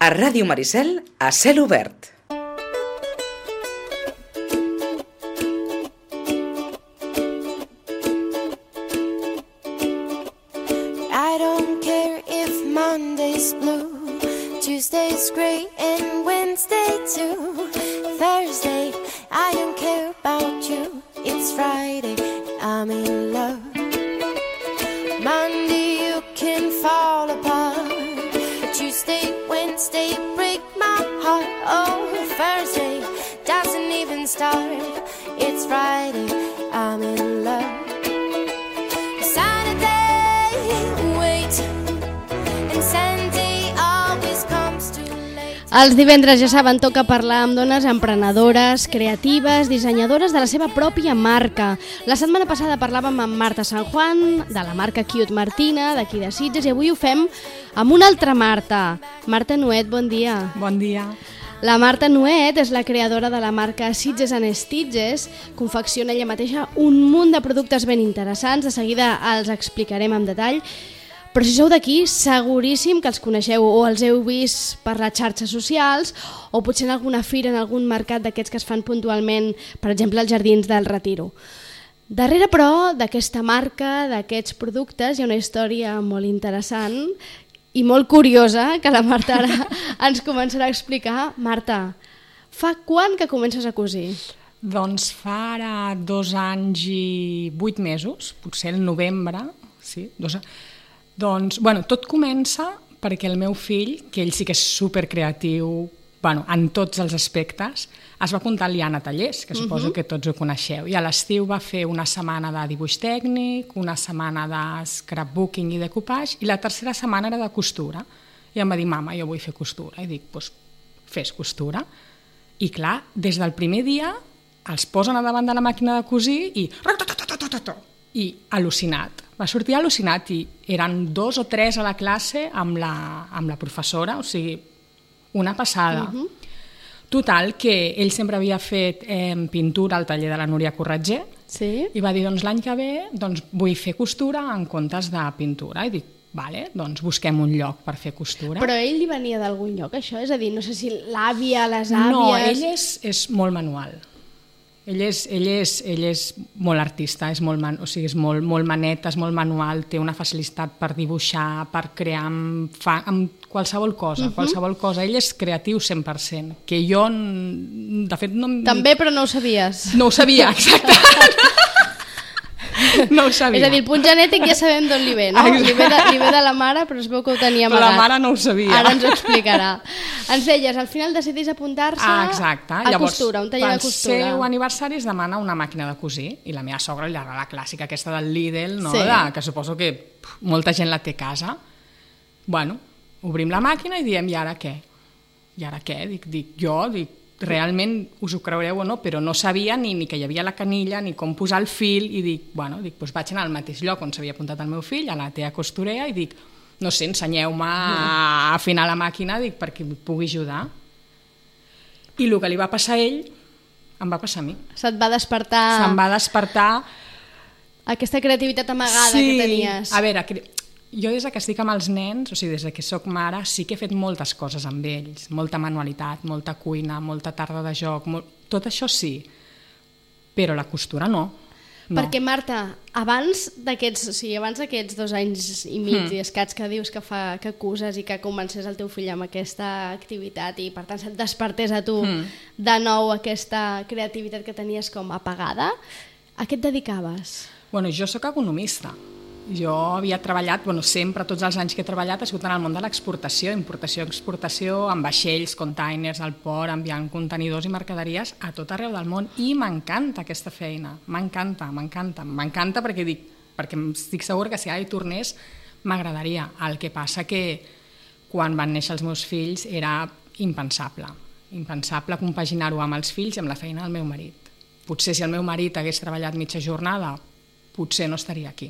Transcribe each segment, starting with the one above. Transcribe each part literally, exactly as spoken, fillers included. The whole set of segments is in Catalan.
A Ràdio Maricel, a cel obert. I don't care if Monday's blue, Tuesday's great and Wednesday too. Thursday, I don't care about you. It's Friday, I'm in love. Monday, you can fall apart. Tuesday, Wednesday, break my heart. Oh, Thursday doesn't even start. It's Friday, I'm in love. Saturday, wait, and Sunday always comes too late. Els divendres, ja saben, toca parlar amb dones emprenedores, creatives, dissenyadores de la seva pròpia marca. La setmana passada parlàvem amb Marta San Juan, de la marca Cute Martina, d'aquí de Sitges, i avui ho fem amb una altra Marta. Marta Nuet, bon dia. Bon dia. La Marta Nuet és la creadora de la marca Sitges and Stitches, confecciona ella mateixa un munt de productes ben interessants, de seguida els explicarem en detall, però si sou d'aquí, seguríssim que els coneixeu o els heu vist per les xarxes socials o potser en alguna fira, en algun mercat d'aquests que es fan puntualment, per exemple, als Jardins del Retiro. Darrere, però, d'aquesta marca, d'aquests productes, hi ha una història molt interessant i molt curiosa que la Marta ara ens començarà a explicar. Marta, fa quan que comences a cosir? Doncs fa ara dos anys i vuit mesos, potser el novembre, sí, dos anys. Doncs, bueno, tot comença perquè el meu fill, que ell sí que és supercreatiu, bueno, en tots els aspectes, es va apuntar al Liana Tallers, que suposo uh-huh. que tots ho coneixeu, i a l'estiu va fer una setmana de dibuix tècnic, una setmana de scrapbooking i decoupage, i la tercera setmana era de costura. I em va dir, mama, jo vull fer costura. I dic, doncs fes costura. I clar, des del primer dia els posen a davant de la màquina de cosir i... i al·lucinat. Va sortir al·lucinat i eren dos o tres a la classe amb la, amb la professora, o sigui, una passada. Uh-huh. Total, que ell sempre havia fet eh, pintura al taller de la Núria Corretger, sí? I va dir, doncs l'any que ve doncs, vull fer costura en comptes de pintura. I dic, vale, doncs busquem un lloc per fer costura. Però ell li venia d'algun lloc, això? És a dir, no sé si l'àvia, les àvies... No, ell és, és molt manual. Ell és, ell és, ell és molt artista, és molt, man, o sigui, és molt, molt maneta, és molt manual, té una facilitat per dibuixar, per crear amb, fa, amb qualsevol cosa, uh-huh. qualsevol cosa. Ell és creatiu cent per cent, que jo, de fet... No, també, però no ho sabies. No ho sabia, exacte. No ho sabia. És a dir, el punt genètic ja sabem d'on li ve, no? Li ve, de, li ve de la mare, però es veu que ho tenia amagat. Però la mare no ho sabia. Ara ens ho explicarà. Ens deies, al final decidís apuntar-se ah, exacte. a Llavors, costura, un taller de costura. Pel seu aniversari es demana una màquina de cosir, i la meva sogra li agrada la clàssica aquesta del Lidl, no? Sí. De, que suposo que pff, molta gent la té a casa. Bueno, obrim la màquina i diem, i ara què? I ara què? Dic, dic jo, dic, realment us ho creureu o no, però no sabia ni, ni que hi havia la canilla, ni com posar el fil, i dic, bueno, dic, doncs vaig anar al mateix lloc on s'havia apuntat el meu fill, a la tea costurea, i dic, no sé, ensenyeu-me a afinar la màquina, dic, perquè em pugui ajudar. I el que li va passar a ell, em va passar a mi. Se't va despertar... Se'm va despertar... aquesta creativitat amagada sí. que tenies. A veure, jo des que estic amb els nens, o sigui, des que soc mare, sí que he fet moltes coses amb ells, molta manualitat, molta cuina, molta tarda de joc, molt... tot això sí, però la costura no. no. Perquè, Marta, abans d'aquests, o sigui, abans d'aquests dos anys i mig mm. i escaig que dius que, fa, que acuses i que comencés el teu fill amb aquesta activitat i per tant se't despertés a tu mm. de nou aquesta creativitat que tenies com apagada, a què et dedicaves? Bueno, jo sóc economista. Jo havia treballat, bueno, sempre, tots els anys que he treballat, ha sigut en el món de l'exportació, importació, exportació, amb vaixells, containers, al port, enviant contenidors i mercaderies a tot arreu del món. I m'encanta aquesta feina, m'encanta, m'encanta, m'encanta perquè dic, perquè estic segura que si ara hi tornés m'agradaria. El que passa que quan van néixer els meus fills era impensable, impensable compaginar-ho amb els fills i amb la feina del meu marit. Potser si el meu marit hagués treballat mitja jornada, potser no estaria aquí.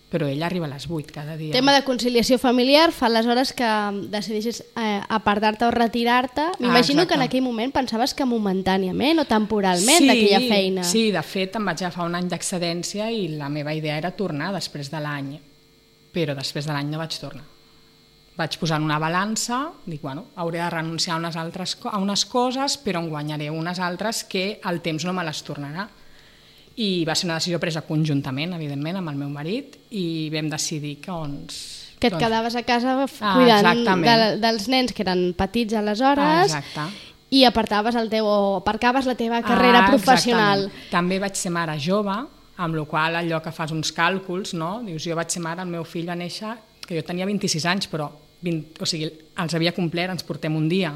Però ell arriba a les vuit cada dia. Tema de conciliació familiar fa aleshores que decideixes eh, apartar-te o retirar-te. M'imagino ah, que en aquell moment pensaves que momentàniament o temporalment sí, d'aquella feina. Sí, de fet em vaig agafar un any d'excedència i la meva idea era tornar després de l'any. Però després de l'any no vaig tornar. vaig posar en una balança, dic, bueno, hauré de renunciar a unes, altres, a unes coses, però en guanyaré unes altres que el temps no me les tornarà. I va ser una decisió presa conjuntament, evidentment, amb el meu marit, i vam decidir que doncs... Que et doncs... quedaves a casa cuidant ah, de, dels nens que eren petits aleshores, ah, i apartaves el teu, o aparcaves la teva carrera ah, professional. També vaig ser mare jove, amb la qual allò que fas uns càlculs, no? Dius, jo vaig ser mare, el meu fill va néixer, que jo tenia vint-i-sis anys, però vint, o sigui, els havia complert, ens portem un dia.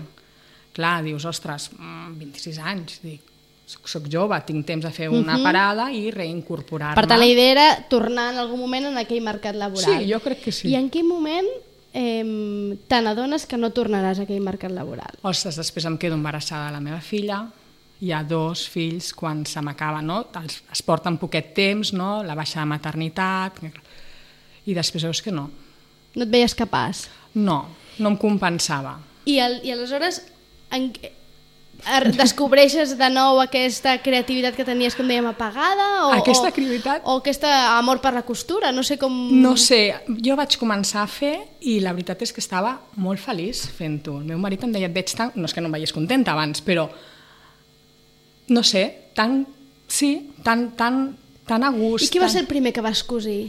Clar, dius, ostres, vint-i-sis anys, dic, soc, soc jove, tinc temps de fer una uh-huh. parada i reincorporar-me. Per tant, la idea era tornar en algun moment en aquell mercat laboral. Sí, jo crec que sí. I en quin moment eh, te n'adones que no tornaràs a aquell mercat laboral? Ostres, després em quedo embarassada de la meva filla, hi ha dos fills quan se m'acaba, no? Els, es porten poquet temps, no? La baixa de maternitat, i després veus que no. No et veies capaç? No, no em compensava. I, el, i aleshores en, descobreixes de nou aquesta creativitat que tenies, com dèiem, apagada? O, aquesta o, creativitat? O aquest amor per la costura? No sé com... No sé, jo vaig començar a fer i la veritat és que estava molt feliç fent-ho. El meu marit em deia, et veig tan... No és que no em veies contenta abans, però... No sé, tan... Sí, tan, tan, tan a gust. I qui va tan... ser el primer que vas cosir?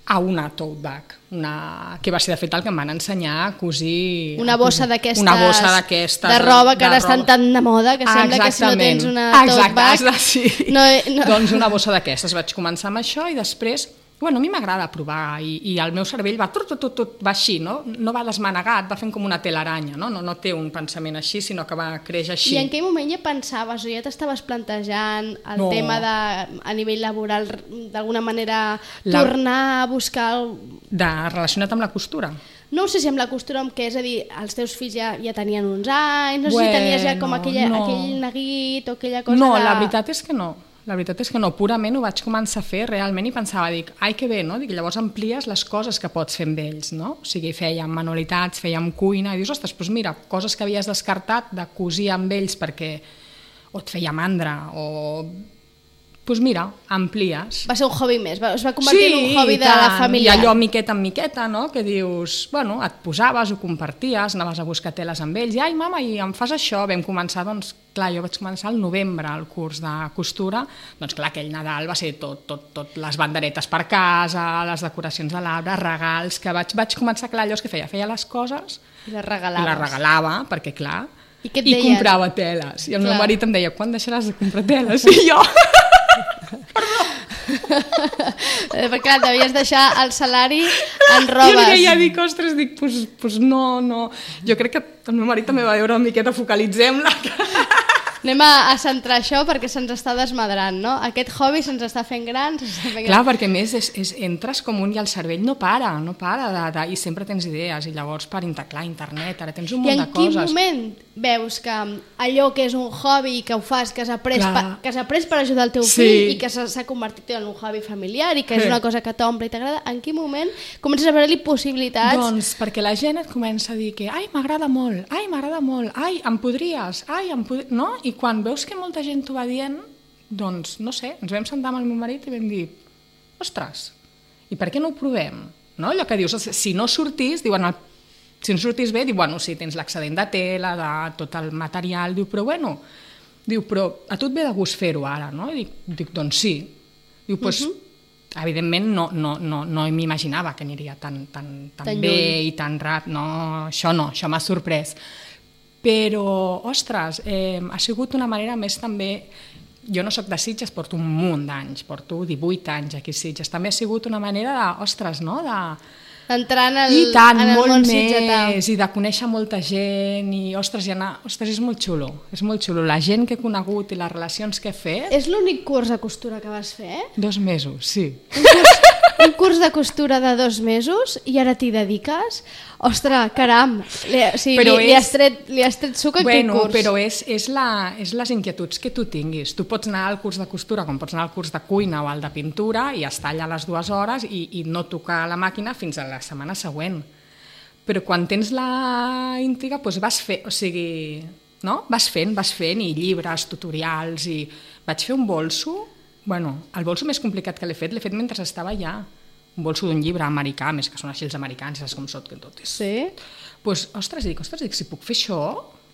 A una tote bag, una... que va ser de fet el que em van ensenyar a cosir... Una bossa d'aquestes... Una bossa d'aquestes... De roba que de ara roba. estan tan de moda que sembla Exactament. que si no tens una tote bag... Exacte, sí. No, no. Doncs una bossa d'aquestes. Vaig començar amb això i després... Bueno, a mi m'agrada provar i, i el meu cervell va, tot, tot, tot, tot, va així, no? No va desmanegat, va fent com una telaranya, no? No, no té un pensament així, sinó que va créixer així. I en aquell moment ja pensaves o ja t'estaves plantejant el no. tema de, a nivell laboral, d'alguna manera La... tornar a buscar... El... De, relacionat amb la costura? No sé si amb la costura, amb què, és a dir, els teus fills ja, ja tenien uns anys, no sé bueno, si tenies ja com aquella, no. aquell neguit o aquella cosa no, de... No, la veritat és que no. La veritat és que no, purament ho vaig començar a fer realment i pensava, dic, ai que bé, no? Dic, llavors amplies les coses que pots fer amb ells, no? O sigui, fèiem manualitats, fèiem cuina, i dius, ostres, doncs mira, coses que havies descartat de cosir amb ells perquè o et feia mandra o... Doncs mira, amplies. Va ser un hobby més, es va convertir sí, en un hobby de la família. I allò miqueta en miqueta, no? Que dius, bueno, et posaves, ho comparties, anaves a buscar teles amb ells, i ai mama, i em fas això, vam començar, doncs, clar, jo vaig començar al novembre el curs de costura, doncs clar, aquell Nadal va ser tot, tot, tot les banderetes per casa, les decoracions de l'arbre, regals, que vaig, vaig començar, clar, allò que feia, feia les coses i les regalaves. I les regalava, perquè clar, i, què et i deien? comprava teles, i el clar. meu marit em deia, quan deixaràs de comprar teles? I jo... Perquè clar, devies deixar el salari en robes. Jo deia, dic, ostres, dic, pues, pues no, no. Jo crec que el meu marit també va veure una miqueta, focalitzem-la. Anem a, a centrar això perquè se'ns està desmadrant, no? Aquest hobby se'ns està fent gran. Està fent Clar, gran. perquè més és, és, entres com un i el cervell no para, no para, de, de, i sempre tens idees, i llavors per clar, internet, ara tens un munt de coses. I en quin moment veus que allò que és un hobby que ho fas, que has après, pa, que has après per ajudar el teu sí. fill i que s'ha convertit en un hobby familiar i que és una cosa que t'omple i t'agrada, en quin moment comences a veure-li possibilitats? Doncs perquè la gent et comença a dir que ai, m'agrada molt, ai, m'agrada molt, ai, em podries, ai, em podries, no? I quan veus que molta gent t'ho va dient, doncs, no sé, ens vam sentar amb el meu marit i vam dir, ostres, i per què no ho provem? No? Allò que dius, si no sortís, diuen, si no sortís bé, diu, bueno, sí, tens l'excedent de tela, de tot el material, diu, però bueno, diu, però a tu et ve de gust fer-ho ara, no? I dic, dic, doncs sí. Diu, doncs, uh-huh. evidentment no, no, no, no m'imaginava que aniria tan, tan, tan, tan bé lluny. I tan ràpid, no, això no, això m'ha sorprès. Però, ostres, eh, ha sigut una manera més també... Jo no sóc de Sitges, porto un munt d'anys, porto divuit anys aquí a Sitges. També ha sigut una manera de, ostres, no?, de... D'entrar en el, I tant, en el molt món més, sitgetà. I de conèixer molta gent, i ostres, i anar... ostres, és molt xulo, és molt xulo. La gent que he conegut i les relacions que he fet... És l'únic curs de costura que vas fer? Dos mesos, sí. Un curs, un curs de costura de dos mesos i ara t'hi dediques? Ostres, caram, li, o sigui, li, és, li, has tret, li has tret suc a bueno, aquell curs. Però és, és, la, és les inquietuds que tu tinguis. Tu pots anar al curs de costura com pots anar al curs de cuina o al de pintura i estar allà les dues hores i, i no tocar la màquina fins a la setmana següent. Però quan tens la intriga, doncs vas fer, o sigui, no? Vas fent, vas fent, i llibres, tutorials, i vaig fer un bolso, bueno, el bolso més complicat que l'he fet, l'he fet mentre estava allà. O un bolso d'un llibre americà, més que són així els americans, saps com són, que tot és... Sí. Pues, ostres, dic, ostres, dic, si puc fer això...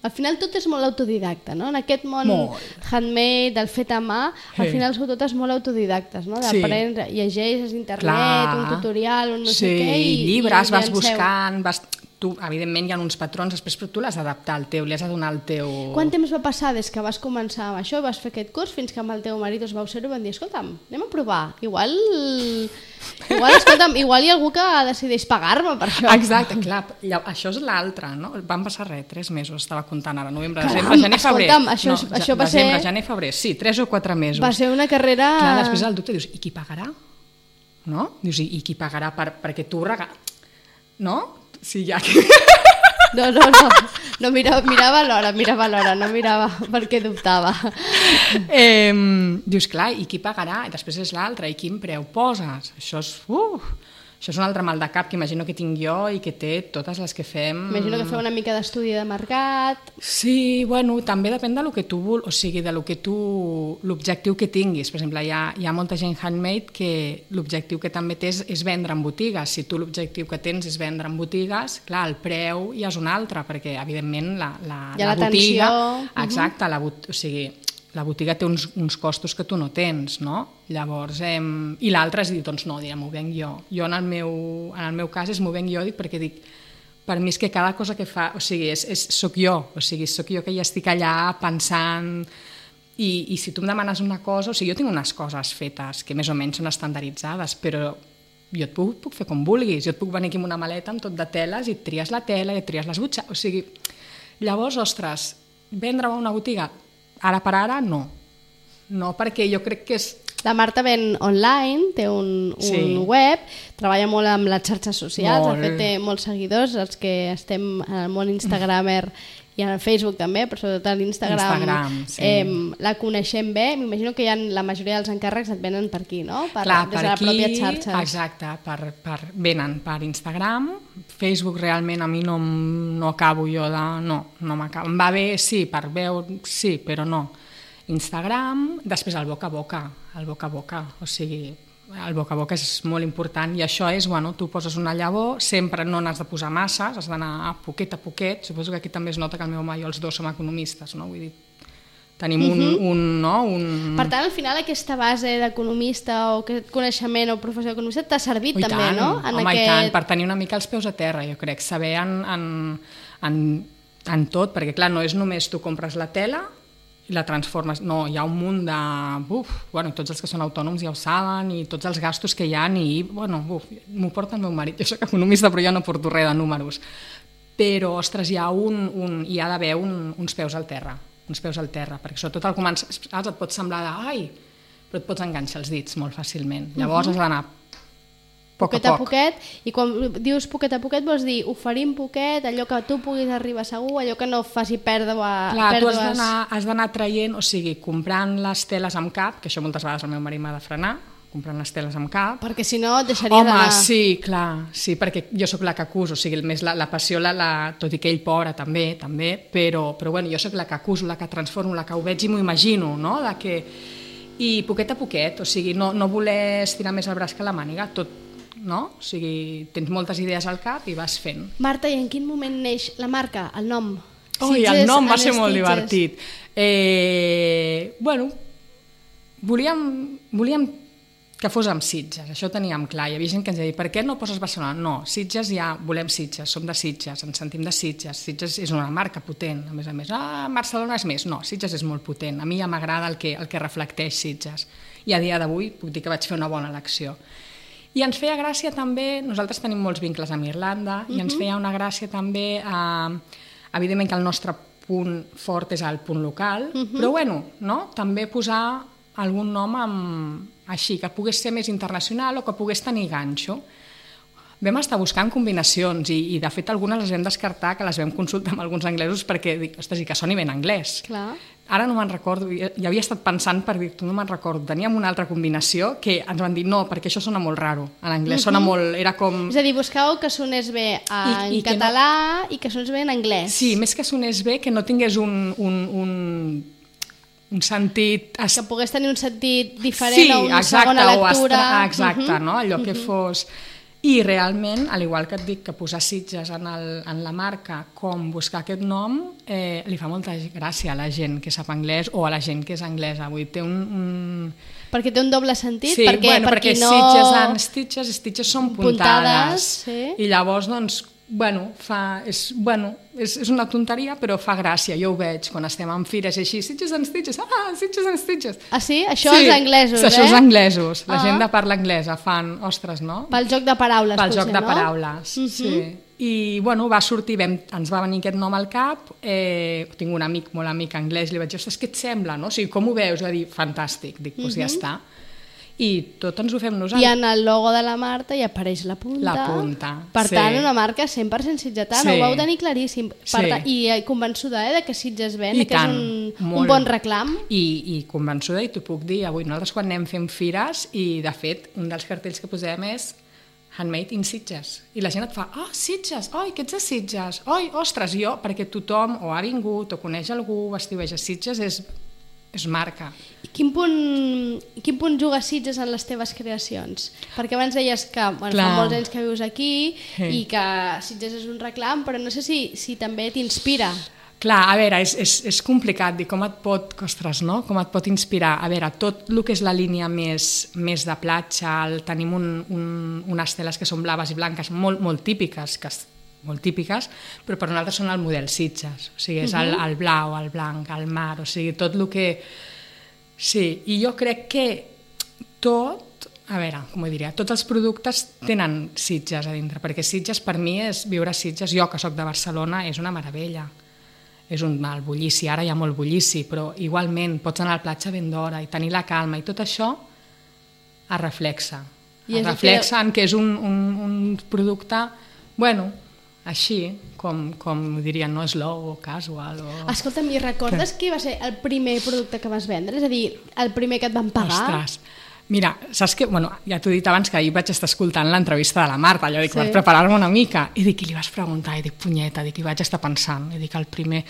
Al final tot és molt autodidacta, no? En aquest món Molt. handmade, del fet a mà, al Sí. final sou totes molt autodidactes, no? Sí. D'aprendre, llegeixes internet, Clar. un tutorial, un no sí, sé què... i I llibres, i vas llanceu. buscant, vas... Tu, evidentment, hi ha uns patrons, després, però tu l'has d'adaptar al teu, li has de donar el teu... Quant temps va passar des que vas començar amb això, vas fer aquest curs, fins que amb el teu marit us vau ser i van dir, escolta'm, anem a provar, igual... Igual, escolta'm, igual hi ha algú que decideix pagar-me per això. Exacte, clar, lla- això és l'altre, no? Van passar res, tres mesos, estava comptant ara, novembre, Caram, desembre, gener, febrer. escolta'm, això és- no, això va desembre, ser- gener, febrer, sí, tres o quatre mesos. Va ser una carrera... Clar, després el dubte, dius, i qui pagarà? No? Dius, i, i qui pagarà per, perquè tu regal... No? Sí, ja que... No, no, no, no mirava, mirava l'hora, mirava l'hora, no mirava perquè dubtava. eh, dius, clar, i qui pagarà? I després és l'altre, i quin preu poses? Això és, uh, això és un altre mal de cap que imagino que tinc jo i que té totes les que fem. Imagino que feu una mica d'estudi de mercat. Sí, bueno, també depèn de lo que tu vul, o sigui, de lo que tu, l'objectiu que tinguis. Per exemple, hi ha, hi ha molta gent handmade que l'objectiu que també té és, és vendre en botigues. Si tu l'objectiu que tens és vendre en botigues, clar, el preu ja és un altre, perquè evidentment la, la, Hi ha la botiga... l'atenció. Exacte, la, bot, o sigui, la botiga té uns, uns costos que tu no tens, no? Llavors, eh, i l'altre és dir, doncs no, dirà, m'ho venc jo. Jo en el meu, en el meu cas és m'ho venc jo, dic, perquè dic, per mi és que cada cosa que fa, o sigui, és, és, soc jo, o sigui, soc jo que ja estic allà pensant, i, i si tu em demanes una cosa, o sigui, jo tinc unes coses fetes que més o menys són estandarditzades, però jo et puc, puc fer com vulguis, jo et puc venir aquí amb una maleta amb tot de teles i et tries la tela i et tries les butxaques, o sigui, llavors, ostres, vendre a una botiga, ara per ara, no. No, perquè jo crec que és... La Marta ven online, té un, un Sí. web, treballa molt amb les xarxes socials, Molt. de fet té molts seguidors, els que estem en el món instagramer i en el Facebook també, però sobretot a l'Instagram Instagram, sí. eh, la coneixem bé. M'imagino que hi ha, la majoria dels encàrrecs et venen per aquí, no? Per, Clar, des per de la aquí, pròpia xarxa. exacte, per, per, venen per Instagram, Facebook realment a mi no, em- no acabo jo de... No, no m'acabo. Em va bé, sí, per veure, sí, però no. Instagram, després el boca a boca, el boca a boca, o sigui, el boca a boca és molt important i això és, bueno, tu poses una llavor, sempre no n'has de posar masses, has d'anar a poquet a poquet, suposo que aquí també es nota que el meu home i jo els dos som economistes, no? Vull dir, tenim un, un, no? un... Per tant, al final aquesta base d'economista o aquest coneixement o professió d'economista t'ha servit Oh, i també, tant, no? En home, aquest... i tant, per tenir una mica els peus a terra, jo crec, saber en, en, en, en tot, perquè clar, no és només tu compres la tela i la transformes, no, hi ha un munt de... Uf, bueno, tots els que són autònoms ja ho saben, i tots els gastos que hi ha, i, bueno, uf, m'ho porta el meu marit, jo soc economista però jo no porto res de números, però, ostres, hi ha, un, un, hi ha d'haver un, uns peus al terra, uns peus al terra, perquè sobretot al començar, saps, et pot semblar de, ai, però et pots enganxar els dits molt fàcilment, llavors uh -huh. has d'anar poc poquet a a poc. poquet, i quan dius poquet a poquet vols dir oferim poquet, allò que tu puguis arribar segur, allò que no faci pèrdua, Clar, tu pèrdues... has d'anar has d'anar traient, o sigui, comprant les teles amb cap, que això moltes vegades el meu marit m'ha de frenar, comprant les teles amb cap. Perquè si no et deixaria Home, d'anar... sí, clar, sí, perquè jo sóc la que acuso, o sigui, més la, la passió, la, la, tot i que ell pobre també, també, però, però bueno, jo sóc la que acuso, la que transformo, la que ho veig i m'ho imagino, no? De que... I poquet a poquet, o sigui, no, no voler estirar més el braç que la màniga, tot, no? O sigui, tens moltes idees al cap i vas fent. Marta, i en quin moment neix la marca, el nom? Ui, el Sitges nom va and ser molt Stitches. divertit. Eh, bueno, volíem, volíem que fos amb Sitges, això ho teníem clar. Hi havia gent que ens deia, per què no poses Barcelona? No, Sitges ja, volem Sitges, som de Sitges, ens sentim de Sitges. Sitges és una marca potent, a més a més. Ah, Barcelona és més. No, Sitges és molt potent. A mi ja m'agrada el que, el que reflecteix Sitges. I a dia d'avui puc dir que vaig fer una bona elecció. I ens feia gràcia també, nosaltres tenim molts vincles amb Irlanda, uh-huh. i ens feia una gràcia també, eh, evidentment que el nostre punt fort és el punt local, uh-huh. però bueno, no? També posar algun nom amb, així, que pogués ser més internacional o que pogués tenir ganxo. Vam estar buscant combinacions i, i de fet algunes les vam descartar, que les vam consultar amb alguns anglesos perquè dic, ostres, i que soni ben anglès. Clar. Ara no me'n recordo, ja havia estat pensant per dir, tu no me'n recordo, teníem una altra combinació que ens van dir no, perquè això sona molt raro, en anglès, uh-huh. sona molt, era com... És a dir, buscau que sonés bé en I, i català no... i que sonés bé en anglès. Sí, més que sonés bé, que no tingués un... un, un un sentit... Es... Que pogués tenir un sentit diferent sí, o una exacte, segona lectura. Estra... Exacte, uh -huh. no? Allò que uh -huh. fos... I realment, al igual que et dic que posar Sitges en, el, en la marca com buscar aquest nom, eh, li fa molta gràcia a la gent que sap anglès o a la gent que és anglesa. Vull dir, té un... un... Perquè té un doble sentit? Sí, perquè, bueno, per perquè no... Sitges and Stitches, Stitches són puntades. Puntades, sí. I llavors, doncs, bueno, fa, és, bueno és, és una tonteria, però fa gràcia. Jo ho veig quan estem en fires i així, Sitges and Stitches, ah, Sitges and Stitches. Ah, sí? Això sí, els anglesos, sí, eh? Això els anglesos. La ah. gent de parla anglesa fan, ostres, no? Pel joc de paraules, Pel potser, joc de no? paraules, uh -huh. sí. I, bueno, va sortir, vam, ens va venir aquest nom al cap, eh, tinc un amic, molt amic anglès, li vaig dir, ostres, què et sembla, no? O sigui, com ho veus? I va dir, fantàstic. Dic, doncs uh -huh. ja està. I tot ens ho fem nosaltres. I en el logo de la Marta hi apareix la punta. La punta, Per sí. tant, una marca cent per cent sitgetana, Sí. ho vau tenir claríssim. Per Sí. tant, I convençuda eh, de que Sitges ven, I que tant, és un, un molt. bon reclam. I, i convençuda, i t'ho puc dir, avui nosaltres quan anem fent fires, i de fet, un dels cartells que posem és Handmade in Sitges. I la gent et fa, oh, Sitges, oi, que ets de Sitges, oi, ostres, jo, perquè tothom o ha vingut o coneix algú, o estiueja Sitges, és, és marca. I quin punt, quin punt juga Sitges en les teves creacions? Perquè abans deies que bueno, fa molts anys que vius aquí sí. i que Sitges és un reclam, però no sé si, si també t'inspira. Clar, a veure, és, és, és complicat dir com et pot, ostres, no? Com et pot inspirar. A veure, tot el que és la línia més, més de platja, el, tenim un, un, unes teles que són blaves i blanques molt, molt típiques, que molt típiques, però per nosaltres són el model Sitges, o sigui, és el, el blau, el blanc, el mar, o sigui, tot el que... Sí, i jo crec que tot, a veure, com ho diria, tots els productes tenen Sitges a dintre, perquè Sitges per mi és viure a Sitges, jo que sóc de Barcelona, és una meravella. És un mal bullici, ara hi ha molt bullici, però igualment pots anar a la platja ben d'hora i tenir la calma, i tot això es reflexa. I es reflexa que... en que és un, un, un producte, bueno, així, com, com dirien, no, slow o casual. O... Escolta'm, i recordes que va ser el primer producte que vas vendre? És a dir, el primer que et van pagar? Ostres, mira, saps que, bueno, ja t'ho he dit abans que ahir vaig estar escoltant l'entrevista de la Marta, allò dic, sí. Per preparar-me una mica, i dic, i li vas preguntar, i dic, punyeta, dic, i vaig estar pensant, i dic, el primer...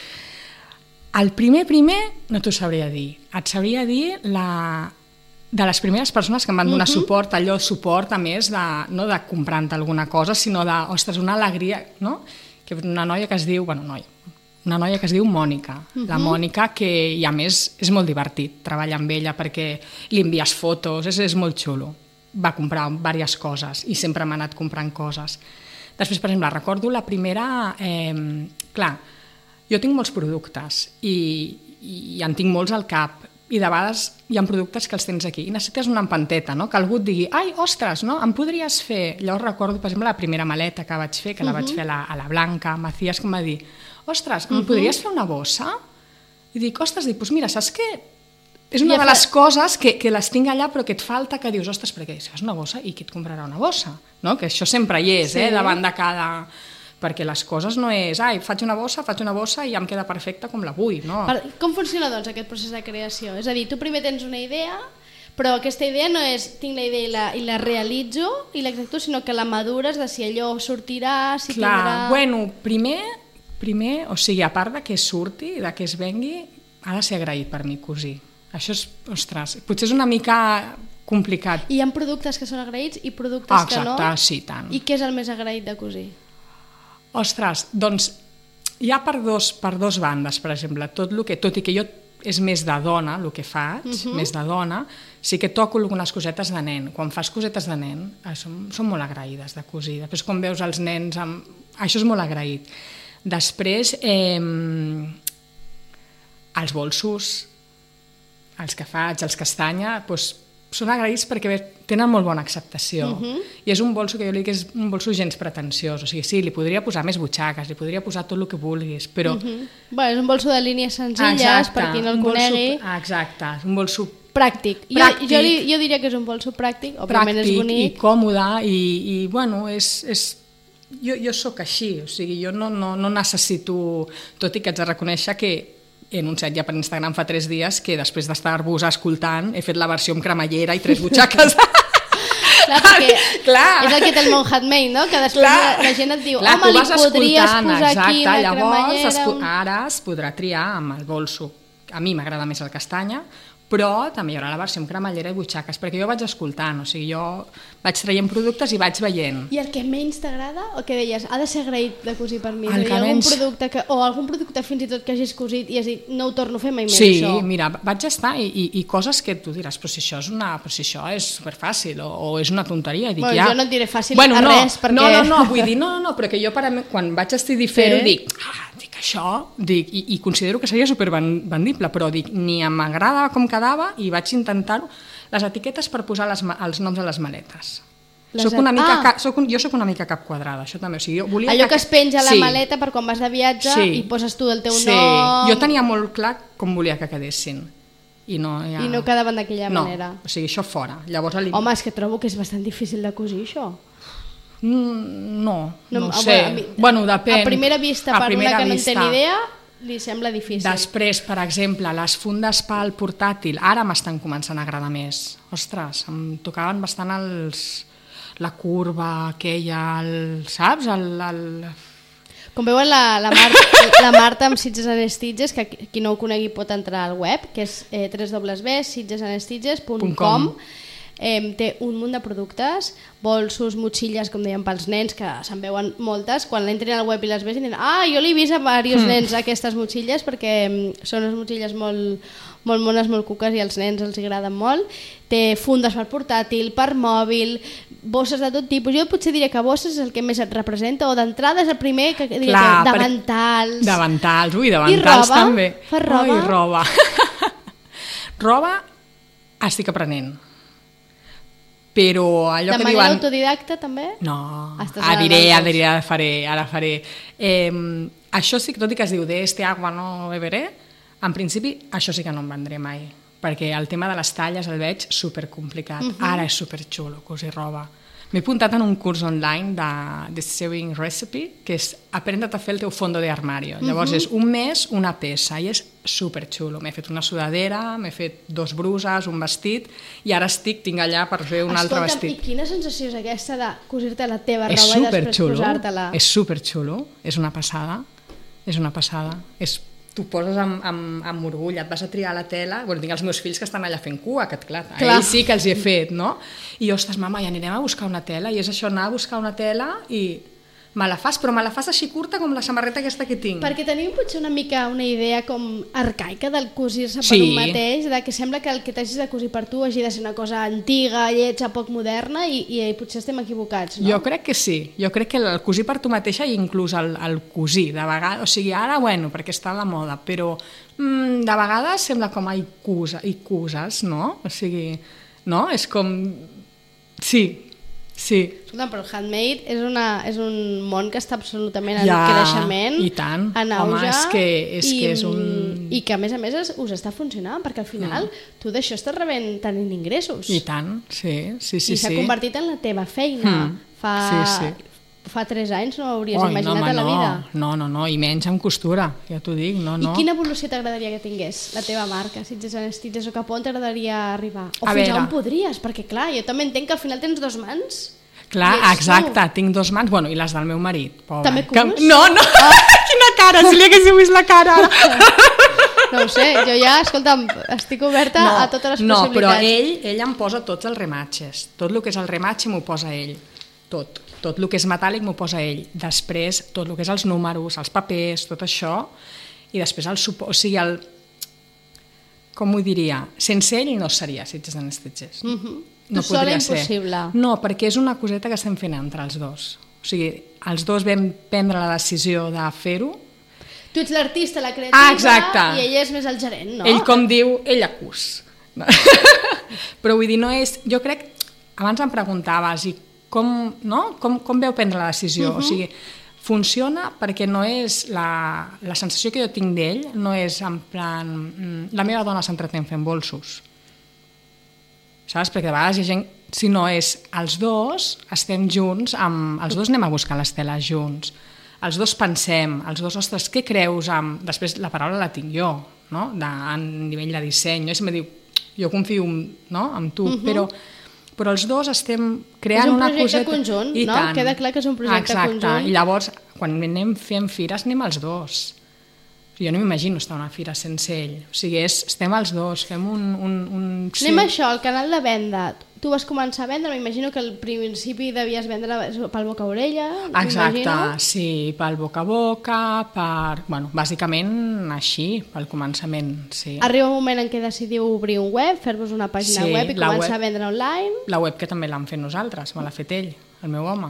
El primer, primer, no t'ho sabria dir. Et sabria dir la... de les primeres persones que em van donar uh-huh. suport, allò suport a més de, no de comprant alguna cosa, sinó de, ostres, una alegria, no? Que una noia que es diu, bueno, noia, una noia que es diu Mònica, uh-huh. la Mònica, que i a més és molt divertit treballar amb ella perquè li envies fotos, és, és molt xulo. Va comprar diverses coses i sempre m'ha anat comprant coses. Després, per exemple, recordo la primera... Eh, clar, jo tinc molts productes i, i en tinc molts al cap, i de vegades hi ha productes que els tens aquí i necessites una empanteta, no? Que algú et digui, ai, ostres, no? Em podries fer... Llavors recordo, per exemple, la primera maleta que vaig fer, que la uh-huh. vaig fer a la, a la Blanca, Macías, que em va dir, ostres, em uh-huh. podries fer una bossa? I dic, ostres, dic, doncs mira, saps què? És una ja de les fa... coses que, que les tinc allà però que et falta, que dius, ostres, perquè si fas una bossa, i qui et comprarà una bossa? No? Que això sempre hi és, sí. eh? Davant de cada... perquè les coses no és, ai, faig una bossa, faig una bossa i ja em queda perfecta com la vull, no? Per, com funciona, doncs, aquest procés de creació? És a dir, tu primer tens una idea, però aquesta idea no és tinc la idea i la, i la realitzo i l'executo, sinó que la madures de si allò sortirà, si Clar, tindrà... bueno, primer, primer, o sigui, a part de que surti, de que es vengui, ha de ser agraït per mi cosir. Això és, ostres, potser és una mica complicat. I hi ha productes que són agraïts i productes ah, exacte, que no? Sí, tant. I què és el més agraït de cosir? Ostres, doncs hi ha per dos, per dos bandes, per exemple, tot, lo que, tot i que jo és més de dona, el que faig, uh-huh. més de dona, sí que toco algunes cosetes de nen. Quan fas cosetes de nen, són, són molt agraïdes de cosir. Després, quan veus els nens, amb... això és molt agraït. Després, eh, els bolsos, els que faig, els castanya, doncs, són agraïts perquè tenen molt bona acceptació. Uh-huh. I és un bolso que jo li dic que és un bolso gens pretensiós. O sigui, sí, li podria posar més butxaques, li podria posar tot el que vulguis, però... Uh-huh. Bueno, és un bolso de línies senzilles, exacte, per qui no el conegui. Bolso, exacte, un bolso pràctic. pràctic. Jo, jo, li, jo diria que és un bolso pràctic, òbviament és bonic. Pràctic i còmode, i, i bueno, és... és jo, jo sóc així, o sigui, jo no, no, no necessito... Tot i que haig de reconèixer que he anunciat ja per Instagram fa tres dies que després d'estar-vos escoltant he fet la versió amb cremallera i tres butxaques. Clar, perquè clar. És el que té el Mont Handmade, no? Que després clar. la gent et diu, clar, home, li podries posar exacte, aquí la llavors cremallera... Es, ara es podrà triar amb el bolso, a mi m'agrada més el castanya, però també hi haurà la versió amb cremallera i butxaques, perquè jo vaig escoltant, o sigui, jo vaig traient productes i vaig veient. I el que menys t'agrada, o què deies, ha de ser agraït de cosir per mi? El que algun menys... producte que, o algun producte fins i tot que hagis cosit i has dit, no ho torno a fer mai més, sí, això. Sí, mira, vaig estar i, i, i coses que tu diràs, però si això és, una, però si això és superfàcil o, o és una tonteria. I dic, bueno, ja... jo no et diré fàcil bueno, a no, res, perquè... No, no, no, vull dir, no, no, però que jo per a mi, quan vaig decidir fer-ho, Sí. dic, ah, dic això, dic, i, i considero que seria supervendible, però dic, ni m'agradava com quedava i vaig intentar-ho, les etiquetes per posar les, els noms a les maletes. Les Soc una mica, ah. ca, soc un, jo sóc una mica cap quadrada, això també. O sigui, jo volia Allò que es penja a la sí. maleta per quan vas de viatge Sí. i poses tu el teu sí. nom... Jo tenia molt clar com volia que quedessin. I no, ja... I no quedaven d'aquella no. manera. O sigui, això fora. Llavors, li... Home, és que trobo que és bastant difícil de cosir, això. Mm, no, no, no a- sé. a mi- Bueno, depèn. A primera vista, A per primera una que vista. no en té ni idea, li sembla difícil. Després, per exemple, les fundes pel portàtil, ara m'estan començant a agradar més. Ostres, em tocaven bastant els... la curva aquella, el, saps? El, el... Com veuen, la, la, Mar la Marta amb Sitges and Stitches, que qui no ho conegui pot entrar al web, que és eh, w w w punt sitges and stitches punt com. Eh, té un munt de productes, bolsos, motxilles, com deien, pels nens, que se'n veuen moltes. Quan entrin al web i les veuen, diuen, ah, jo l'he vist a diversos mm. nens aquestes motxilles, perquè mm, són unes motxilles molt, molt mones, molt cuques, i als nens els agraden molt. Té fundes per portàtil, per mòbil, bosses de tot tipus. Jo potser diria que bosses és el que més et representa, o d'entrada és el primer que diria Clar, que davantals. Davantals, ui, davantals roba? també. Fas roba? Ui, roba. Roba estic aprenent. Però allò de que manera diuen... autodidacta també? No, Estàs ara diré, adaptant-vos. ara diré, ara faré, ara faré. Eh, això sí, tot i que es diu de este agua no beberé, en principi això sí que no em vendré mai, perquè el tema de les talles el veig supercomplicat. Uh -huh. Ara és superxulo cosir roba. M'he apuntat en un curs online de, de Sewing Recipe, que és aprendre't a fer el teu fondo de armario. Llavors uh -huh. és un mes, una peça, i és superxulo. M'he fet una sudadera, m'he fet dos bruses, un vestit, i ara estic, tinc allà per fer un Escolta'm, altre vestit. i quina sensació és aquesta de cosir-te la teva És roba i després superxulo, posar-te-la? és superxulo, és una passada, és una passada. És, tu poses amb, amb, amb orgull, et vas a triar la tela, bueno, tinc els meus fills que estan allà fent cua, que clar, a Clar. ells sí que els hi he fet, no? I jo, ostres, mama, i anirem a buscar una tela, i és això, anar a buscar una tela i me la fas, però me la fas així curta com la samarreta aquesta que tinc. Perquè tenim potser una mica una idea com arcaica del cosir-se Sí. per un mateix, de que sembla que el que t'hagis de cosir per tu hagi de ser una cosa antiga, lletja, poc moderna, i, i potser estem equivocats, no? Jo crec que sí, jo crec que el cosir per tu mateixa i inclús el, el cosir, de vegades, o sigui, ara, bueno, perquè està a la moda, però mm, de vegades sembla com a icusa, icuses, no? O sigui, no? És com... Sí, sí. Escolta, però el handmade és, una, és un món que està absolutament en Ja, creixement, i tant. en Home, auge, és que- és i, que és un- i que a més a més es- us està funcionant, perquè al final mm. tu d'això estàs rebent tenint ingressos. I tant, sí, sí, sí. I s'ha sí. convertit en la teva feina. Mm. Fa, Sí, sí. fa tres anys no ho hauries Oi, imaginat no, home, a la no, vida. No, no, no, i menys amb costura, ja t'ho dic, no, no. I quina evolució t'agradaria que tingués la teva marca, Sitges and Stitches, o cap on t'agradaria arribar? O A fins veure. a on podries? Perquè clar, jo també entenc que al final tens dos mans. Clar, I ets exacte, tu. tinc dos mans, bueno, i les del meu marit, pobre. També Que- cus? No, no, Ah. quina cara, si li haguéssiu vist la cara ara. No ho sé, jo ja, escolta'm, estic oberta a totes les no, possibilitats. però ell, ell em posa tots els rematxes. Tot el que és el rematxe m'ho posa ell. Tot. Tot el que és metàl·lic m'ho posa ell. Després, tot el que és els números, els papers, tot això. I després el suport... O sigui, el... Com ho diria? Sense ell no seria Sitges and Stitches. Mm -hmm. No tu sola podria ser. impossible. No, perquè és una coseta que estem fent entre els dos. O sigui, els dos vam prendre la decisió de fer-ho. Tu ets l'artista, la creativa, Ah, exacte. i ell és més el gerent, no? Ell, com diu, ell acus. No. Però vull dir, no és... Jo crec... Abans em preguntaves, i com, no? com, com veu prendre la decisió? Uh -huh. O sigui, funciona perquè no és... La, la sensació que jo tinc d'ell no és en plan... La meva dona s'entretén fent bolsos. Saps? Perquè de vegades hi ha gent... Si no és els dos, estem junts, amb, els dos anem a buscar les teles junts, els dos pensem, els dos, ostres, què creus? Amb... Després la paraula la tinc jo, no? De, a nivell de disseny. Jo sempre diu, jo confio no? en tu, uh -huh. però, però els dos estem creant una coseta... És un projecte conjunt, I no? tant. Queda clar que és un projecte Exacte. conjunt. I llavors, quan anem fent fires, anem els dos. Jo no m'imagino estar a una fira sense ell. O sigui, és, estem els dos, fem un... un, un sí. Anem a això, el canal de venda. Tu vas començar a vendre, m'imagino que al principi devies vendre pel boca a orella. Exacte, m'imagino. sí, pel boca a boca, per... Bueno, bàsicament així, pel començament, sí. Arriba un moment en què decidiu obrir un web, fer-vos una pàgina Sí, web i la començar web- a vendre online. La web que també l'hem fet nosaltres, me l'ha fet ell, el meu home.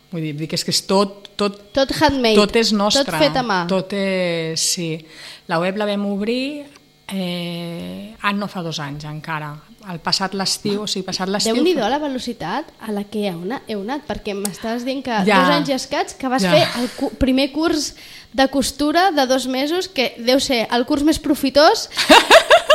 Vull dir, dic, és que és tot... Tot, Tot handmade. tot és nostre. Tot fet a mà. Tot és... Sí. La web la vam obrir... Eh, ah, no fa dos anys encara. El passat l'estiu, o sigui, passat l'estiu... Déu-n'hi-do la velocitat a la que heu anat, heu anat perquè m'estàs dient que Ja. dos anys i escaig que vas Ja. fer el cu primer curs de costura de dos mesos, que deu ser el curs més profitós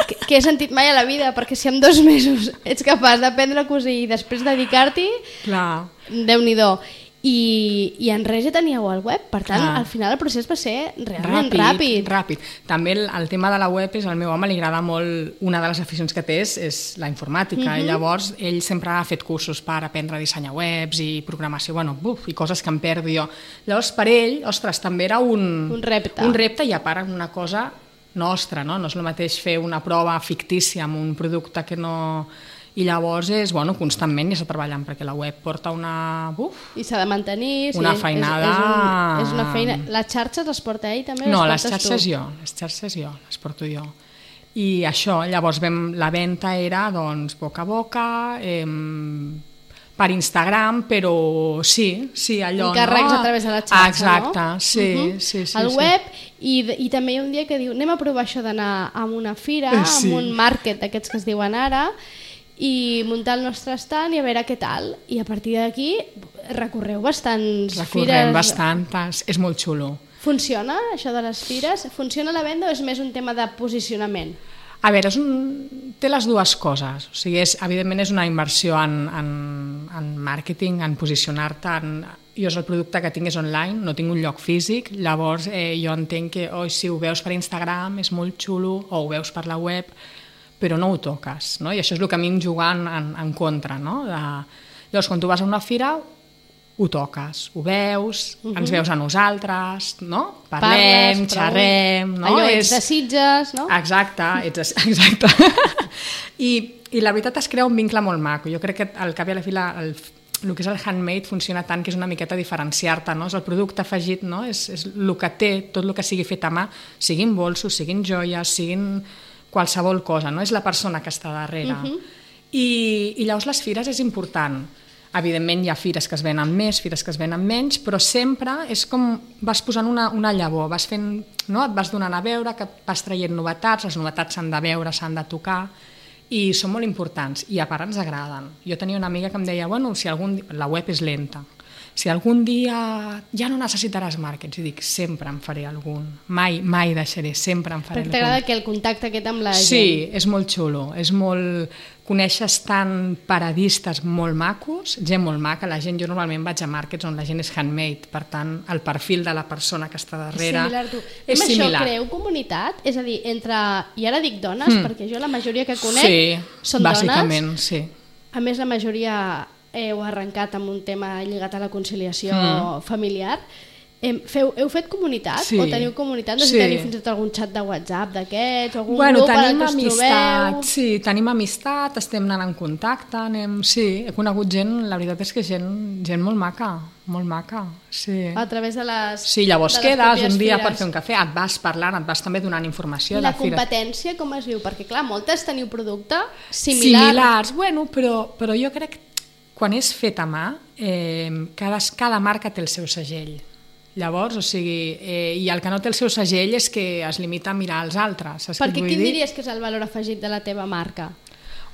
que, que he sentit mai a la vida, perquè si en dos mesos ets capaç d'aprendre a cosir i després dedicar-t'hi, Clar. Déu-n'hi-do. I, i en res ja teníeu el web, per tant, Clar. al final el procés va ser realment ràpid. ràpid. També el, el tema de la web és, al meu home li agrada molt, una de les aficions que té és, és la informàtica, Mhm. i llavors ell sempre ha fet cursos per aprendre a dissenyar webs i programació, bueno, buf, i coses que em perdo jo. Llavors per ell, ostres, també era un, Un repte. un repte i a part una cosa nostra, no? No és el mateix fer una prova fictícia amb un producte que no... I llavors és, bueno, constantment ja està treballant, perquè la web porta una... Uf, I s'ha de mantenir. Una sí, és- feinada. És, és, un, és una feina. Les xarxes les porta ell també? no, les les portes xarxes tu? jo, les xarxes jo, les porto jo. I això, llavors vam, la venda era doncs boca a boca, eh, per Instagram, però sí, sí, allò, Encàrrecs no? a través de la xarxa, Exacte, no? sí, Mhm. sí, sí. El sí. web, i, i també hi ha un dia que diu anem a provar això d'anar a una fira, Eh, sí. a un market d'aquests que es diuen ara, i muntar el nostre stand i a veure què tal. I a partir d'aquí recorreu bastants Recorrem fires. bastantes, és molt xulo. Funciona això de les fires? Funciona la venda o és més un tema de posicionament? A veure, és un... té les dues coses. O sigui, és, evidentment és una inversió en, en, en màrqueting, en posicionar-te. En... Jo el producte que tinc és online, no tinc un lloc físic, llavors eh, jo entenc que oh, si ho veus per Instagram és molt xulo, o ho veus per la web, però no ho toques, no? I això és el que a mi em juga en, en, en contra, no? De... Llavors, quan tu vas a una fira, ho toques, ho veus, uh -huh. ens veus a nosaltres, no? Parlem, Parles, xerrem, no? Allò, és... ets de Sitges, no? Exacte, ets, exacte. I, I la veritat es crea un vincle molt maco. Jo crec que al cap i a la fi la, el, el que és el handmade funciona tant que és una miqueta diferenciar-te, no? És el producte afegit, no? És, és el que té, tot el que sigui fet a mà, siguin bolsos, siguin joies, siguin qualsevol cosa, no? És la persona que està darrere. Uh -huh. I, I llavors les fires és important. Evidentment hi ha fires que es venen més, fires que es venen menys, però sempre és com vas posant una, una llavor, vas fent, no? Et vas donant a veure, que vas traient novetats, les novetats s'han de veure, s'han de tocar, i són molt importants, i a part ens agraden. Jo tenia una amiga que em deia, bueno, si algun dia... la web és lenta, si algun dia ja no necessitaràs màrquets, i dic, sempre en faré algun, mai, mai deixaré, sempre en faré Perquè algun. t'agrada que el contacte aquest amb la Sí, gent. és molt xulo, és molt... Coneixes tant paradistes molt macos, gent molt maca, la gent, jo normalment vaig a markets on la gent és handmade, per tant, el perfil de la persona que està darrere Similar, tu. és Amb similar. això creeu comunitat? És a dir, entre... I ara dic dones, Mm. perquè jo la majoria que conec Sí, són bàsicament, dones. sí. A més, la majoria heu arrencat amb un tema lligat a la conciliació Mm. familiar. Hem, feu, heu fet comunitat? Sí. O teniu comunitat? No sé Sí. si teniu fins i tot algun xat de WhatsApp d'aquests, o algun Bueno, grup en el tenim que us amistat, trobeu? sí, tenim amistat, estem anant en contacte, anem, sí, he conegut gent, la veritat és que gent, gent molt maca, molt maca, sí. A través de les Sí, llavors de les quedes pròpies un dia fires. per fer un cafè, et vas parlant, et vas també donant informació. I la de fires. competència com es viu? Perquè clar, moltes teniu producte similar. Similars, bueno, però, però jo crec que quan és fet a mà, eh, cada, cada marca té el seu segell. Llavors, o sigui, eh, i el que no té el seu segell és que es limita a mirar els altres. Saps què et Perquè vull quin dir? diries que és el valor afegit de la teva marca?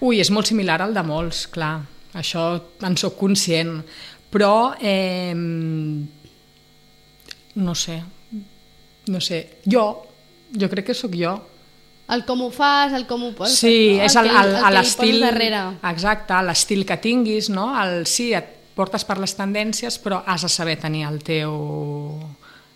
Ui, és molt similar al de molts, clar. Això en sóc conscient. Però, eh, no sé, no sé, jo, jo crec que sóc jo. El com ho fas, el com ho poses, Sí, no? és el, que- el, el que hi l'estil... poses darrere. Exacte, l'estil que tinguis, no? El, sí, et portes per les tendències, però has de saber tenir el teu,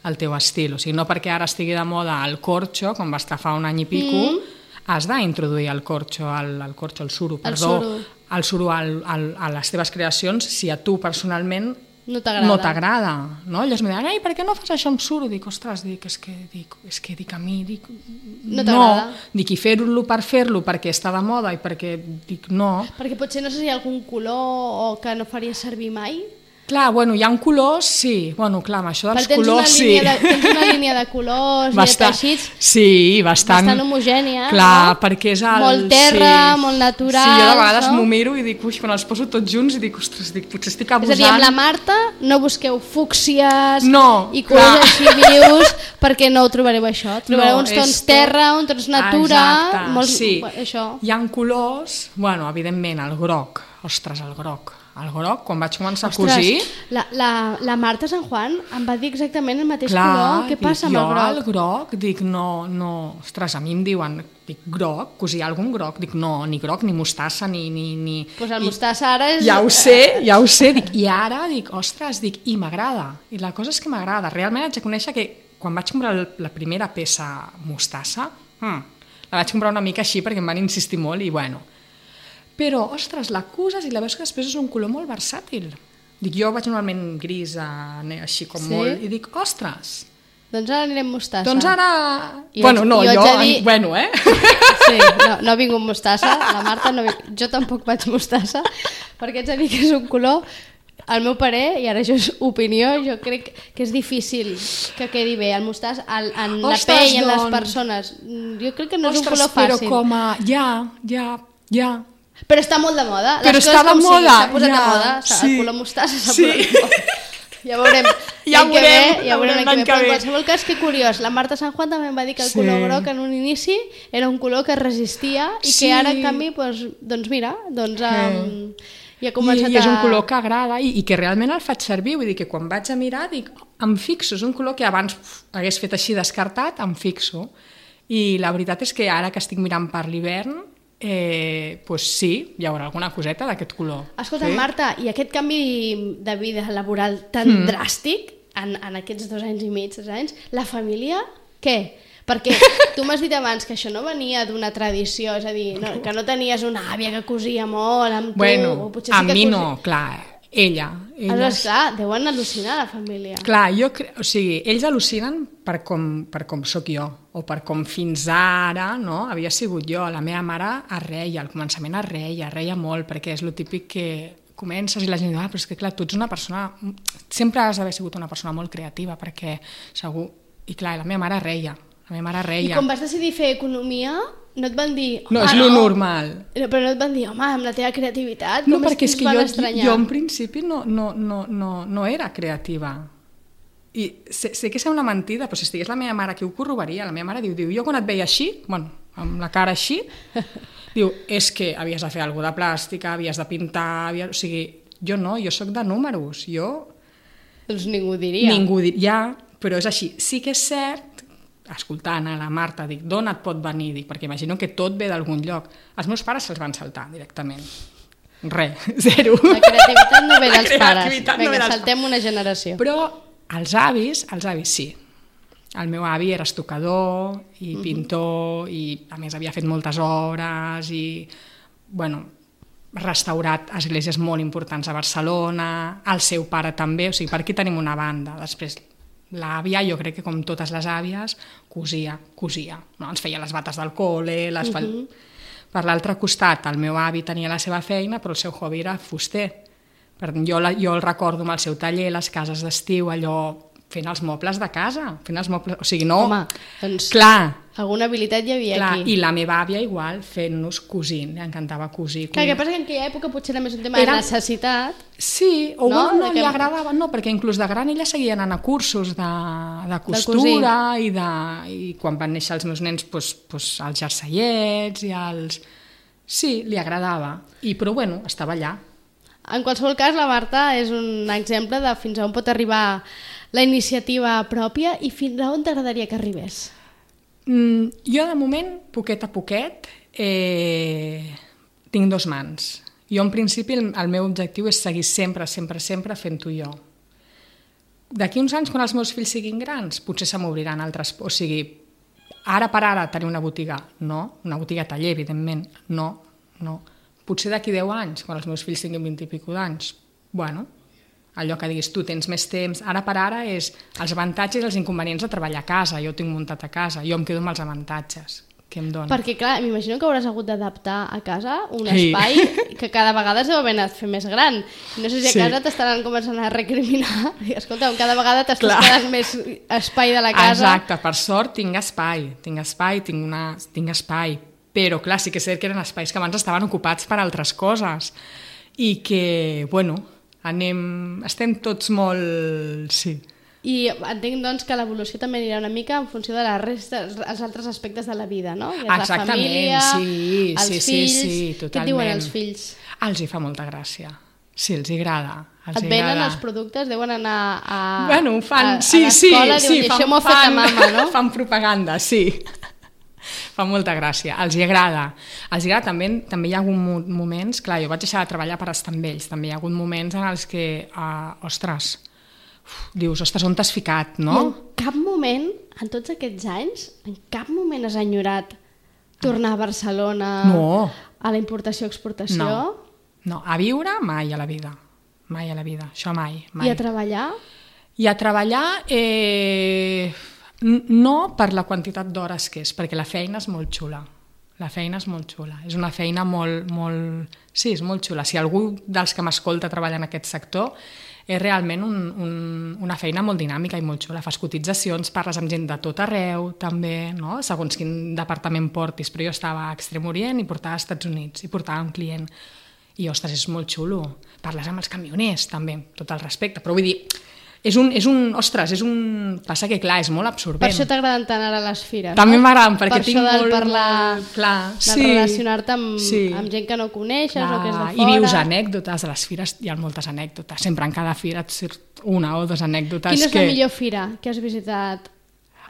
el teu estil. O sigui, no perquè ara estigui de moda el corxo, com va estar fa un any i pico, mm. has d'introduir el corxo, el, el corxo, el suro, El perdó, suro. el suro al, al, a les teves creacions, si a tu personalment No t'agrada. No t'agrada, no? Llavors em deien, ai, per què no fas això amb suro? Dic, ostres, dic, és que, dic, és que dic a mi, dic, no t'agrada. No, dic, i fer-lo per fer-lo perquè està de moda i perquè, dic, no. Perquè potser no sé si hi ha algun color o que no faria servir mai. Clar, bueno, hi ha un colors, sí. Bueno, clar, amb això dels tens colors, una línia sí. de, tens una línia de colors bastant, i de teixits sí, bastant, bastant homogènia. Clar, no? perquè és el... Molt terra, sí, molt natural. Sí, jo de vegades no? m'ho miro i dic, ui, quan els poso tots junts i dic, ostres, dic, potser estic abusant. És a dir, amb la Marta no busqueu fúcsies no, i colors així vius, perquè no ho trobareu això. Trobareu no, uns tons tot... terra, uns tons natura... Exacte, molts... sí. Això. Hi ha colors, bueno, evidentment, el groc, ostres, el groc. El groc, quan vaig començar Ostres, a cosir... La, la, la Marta Sant Juan em va dir exactament el mateix clar, color. Què passa dic, amb el groc? Jo el groc, dic, no, no... Ostres, a mi em diuen, dic, groc, cosir algun groc? Dic, no, ni groc, ni mostassa, ni... ni, ni... Pues el I, mostassa ara és... Ja ho sé, ja ho sé, dic, i ara, dic, ostres, dic, i m'agrada. I la cosa és que m'agrada. Realment haig de conèixer que quan vaig comprar la primera peça mostassa, hmm, la vaig comprar una mica així perquè em van insistir molt i, bueno... Però, ostres, la coses i la veus que després és un color molt versàtil. Dic, jo vaig normalment gris, així com sí? molt, i dic, ostres... Doncs ara anirem mostassa. Doncs ara... I bueno, no, jo... jo... Dir... Bueno, eh? Sí, no, no ha vingut mostassa, la Marta no... Jo tampoc vaig mostassa, perquè haig de dir que és un color... Al meu parer, i ara això és opinió, jo crec que és difícil que quedi bé el mostàs en, en la ostres, pell, en les doncs... persones. Jo crec que no és ostres, un color fàcil. però com a... Ja, ja, ja... Però està molt de moda. Però les està de com moda. S'ha posat ja, de moda. sí. El color mostassa s'ha sí. posat de moda. Ja veurem ja l'any veurem, que ve. Ja veurem l'any l'any que que ve. ve. En qualsevol cas, que curiós. La Marta Sant Juan també em va dir que el Sí. color groc en un inici era un color que resistia i Sí. que ara, en canvi, doncs, doncs mira, doncs... Um, ja ha començat I, i és un a... color que agrada i, i que realment el faig servir, vull dir que quan vaig a mirar dic, em fixo, és un color que abans uf, hagués fet així descartat, em fixo. I la veritat és que ara que estic mirant per l'hivern, eh, pues sí, hi haurà alguna coseta d'aquest color. Escolta, sí? Marta, i aquest canvi de vida laboral tan mm. dràstic, en, en aquests dos anys i mig, tres anys, la família, què? Perquè tu m'has dit abans que això no venia d'una tradició, és a dir, no, que no tenies una àvia que cosia molt amb tu... Bueno, o potser sí a que mi cosi... no, clar, ella. ella Aleshores, clar, deuen al·lucinar la família. Clar, jo cre... o sigui, ells al·lucinen per com, per com sóc jo, o per com fins ara no, havia sigut jo. La meva mare es reia, al començament es reia, es reia molt, perquè és el típic que comences i la gent diu, ah, però és que clar, tu ets una persona... Sempre has d'haver sigut una persona molt creativa, perquè segur... I clar, la meva mare reia. La meva mare reia. I quan vas decidir fer economia, no et van dir... No, és lo no. normal. Però no et van dir, home, amb la teva creativitat, no, com perquè és es que van jo, estranyar? jo en principi no, no, no, no, no era creativa. I sé, sé que sembla mentida, però si estigués la meva mare aquí ho corroboraria. La meva mare diu, diu, jo quan et veia així, bueno, amb la cara així, diu, és que havies de fer alguna de plàstica, havies de pintar, havia... o sigui, jo no, jo sóc de números, jo... Doncs ningú diria. Ningú diria, però és així. Sí que és cert, escoltant a la Marta, dic, d'on et pot venir? Dic, perquè imagino que tot ve d'algun lloc. Els meus pares se'ls van saltar directament. Res, zero. La creativitat no ve dels pares. No Vinga, saltem una generació. Però els avis, els avis sí. El meu avi era estucador i pintor i a més havia fet moltes obres i, bueno, restaurat esglésies molt importants a Barcelona, el seu pare també, o sigui, per aquí tenim una banda. Després l'àvia, jo crec que com totes les àvies, cosia, cosia. No? Ens feia les bates del col·le, les uh -huh. Per l'altre costat, el meu avi tenia la seva feina, però el seu hobby era fuster. Per tant, jo, la, jo el recordo amb el seu taller, les cases d'estiu, allò fent els mobles de casa, fent els mobles... O sigui, no... Home, doncs clar, alguna habilitat hi havia clar, aquí. I la meva àvia igual, fent-nos cosint, li encantava cosir. Clar, que passa que en aquella època potser era més un tema Era... de necessitat. Sí, o no? no, no que... li agradava, no, perquè inclús de gran ella seguia anant a cursos de, de costura de i, de, i quan van néixer els meus nens, doncs, doncs els jerseiets i els... Sí, li agradava, I, però bueno, estava allà. En qualsevol cas, la Marta és un exemple de fins a on pot arribar la iniciativa pròpia i fins a on t'agradaria que arribés? Mm, jo, de moment, poquet a poquet, eh, tinc dos mans. Jo, en principi, el, el meu objectiu és seguir sempre, sempre, sempre fent-ho jo. D'aquí uns anys, quan els meus fills siguin grans, potser se m'obriran altres... O sigui, ara per ara tenir una botiga, no. Una botiga taller, evidentment, no, no. Potser d'aquí deu anys, quan els meus fills tinguin vint i pico d'anys, bueno, allò que diguis tu, tens més temps, ara per ara és els avantatges i els inconvenients de treballar a casa, jo ho tinc muntat a casa, jo em quedo amb els avantatges que em donen. Perquè, clar, m'imagino que hauràs hagut d'adaptar a casa un Sí. espai que cada vegada es deu haver anat fent més gran. No sé si a Sí. casa t'estaran començant a recriminar. I, escolta, cada vegada t'estàs Clar. quedant més espai de la casa. Exacte, per sort tinc espai, tinc espai, tinc, una, tinc espai, però clar, sí que és cert que eren espais que abans estaven ocupats per altres coses i que, bueno, anem, estem tots molt... Sí. I entenc, doncs, que l'evolució també anirà una mica en funció de la resta, els altres aspectes de la vida, no? I és Exactament, la família, sí, els sí, sí, fills... sí, Què et totalment. diuen els fills? Els hi fa molta gràcia. Sí, els hi agrada. Els Et hi venen agrada. els productes? Deuen anar a, Bueno, fan, a, a sí, sí, l'escola i sí, diuen, fan, això m'ho ha fet la fan- mama, no? fan propaganda, sí. Fa molta gràcia, els hi agrada. Els hi agrada també, també hi ha hagut mo- moments, clar, jo vaig deixar de treballar per estar amb ells, també hi ha hagut moments en els que, uh, ostres, uf, dius, ostres, on t'has ficat, no? I en cap moment, en tots aquests anys, en cap moment has enyorat tornar a Barcelona, No. a la importació-exportació, No, no, a viure mai a la vida, mai a la vida, això mai, mai. i a treballar? I a treballar, eh, n- no per la quantitat d'hores que és, perquè la feina és molt xula. La feina és molt xula. És una feina molt, molt... Sí, és molt xula. Si algú dels que m'escolta treballa en aquest sector, és realment un, un, una feina molt dinàmica i molt xula. Fas cotitzacions, parles amb gent de tot arreu, també, no? Segons quin departament portis. Però jo estava a Extrem Orient i portava als Estats Units i portava un client. I, ostres, és molt xulo. Parles amb els camioners, també, amb tot el respecte. Però vull dir, és un, és un, ostres, és un... Passa que, clar, és molt absorbent. Per això t'agraden tant ara les fires, També no? m'agraden, perquè per tinc això del molt, parlar, molt... Clar, del sí. relacionar-te amb, Sí. amb gent que no coneixes Clar, o que és de fora. I vius anècdotes, a les fires hi ha moltes anècdotes. Sempre en cada fira et surt una o dues anècdotes Quina és que... la millor fira que has visitat?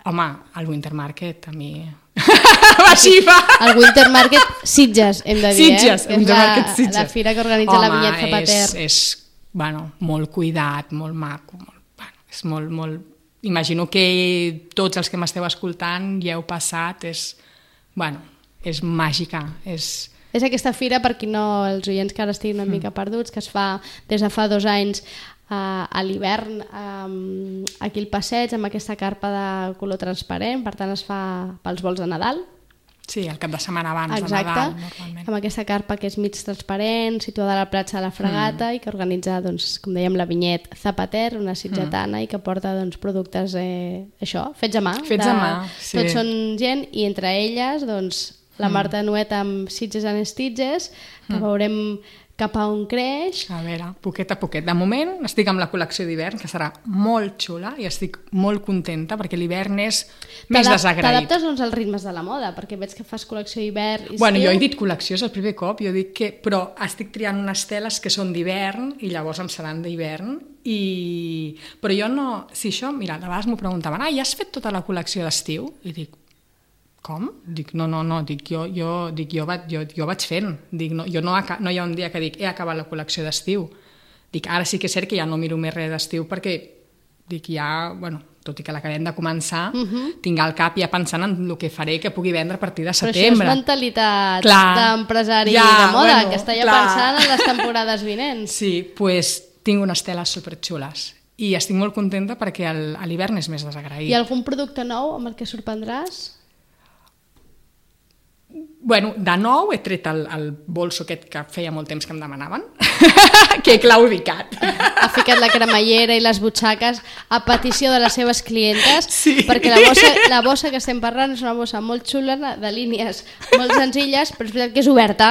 Home, el Winter Market, a mi... Va, així va! El Winter Market Sitges, hem de dir, Sitges, eh? Que és Winter la, Market Sitges. la fira que organitza Home, la Vinyet Zapater. és, és bueno, molt cuidat, molt maco, molt, bueno, és molt, molt... Imagino que tots els que m'esteu escoltant ja heu passat, és, bueno, és màgica, és... És aquesta fira, per qui no, els oients que ara estiguin una mica perduts, que es fa des de fa dos anys uh, a l'hivern um, aquí al passeig, amb aquesta carpa de color transparent, per tant es fa pels vols de Nadal. Sí, el cap de setmana abans Exacte, de Nadal, normalment. amb aquesta carpa que és mig transparent, situada a la platja de la Fregata mm. i que organitza, doncs, com dèiem, la Vinyet Zapater, una sitgetana, mm. i que porta doncs, productes eh, això, fets a mà. Fets de, a mà, sí. Tots són gent i entre elles doncs, la Marta Nuet amb Sitges and Stitches, que mm. veurem cap a on creix. A veure, poquet a poquet. De moment estic amb la col·lecció d'hivern, que serà molt xula i estic molt contenta perquè l'hivern és més desagraït. T'adaptes doncs, als ritmes de la moda, perquè veig que fas col·lecció hivern i estiu. Bueno, jo he dit col·lecció, és el primer cop, jo dic que... Però estic triant unes teles que són d'hivern i llavors em seran d'hivern i... Però jo no... Si això, mira, de vegades m'ho preguntaven, ah, ja has fet tota la col·lecció d'estiu? I dic, com? Dic, no, no, no, dic, jo, jo, dic, jo, vaig, jo, jo vaig fent. Dic, no, jo no, no hi ha un dia que dic, he acabat la col·lecció d'estiu. Dic, ara sí que és cert que ja no miro més res d'estiu perquè, dic, ja, bueno, tot i que l'acabem de començar, uh -huh. tinc al cap ja pensant en el que faré que pugui vendre a partir de setembre. Però això és mentalitat clar, d'empresari ja, de moda, bueno, que està ja clar. pensant en les temporades vinents. Sí, doncs pues, tinc unes teles superxules i estic molt contenta perquè el, a l'hivern és més desagraït. I algun producte nou amb el que sorprendràs? Bueno, de nou he tret el, el bolso aquest que feia molt temps que em demanaven, que he claudicat. Ha ficat la cremallera i les butxaques a petició de les seves clientes, Sí. perquè la bossa, la bossa que estem parlant és una bossa molt xula, de línies molt senzilles, però és veritat que és oberta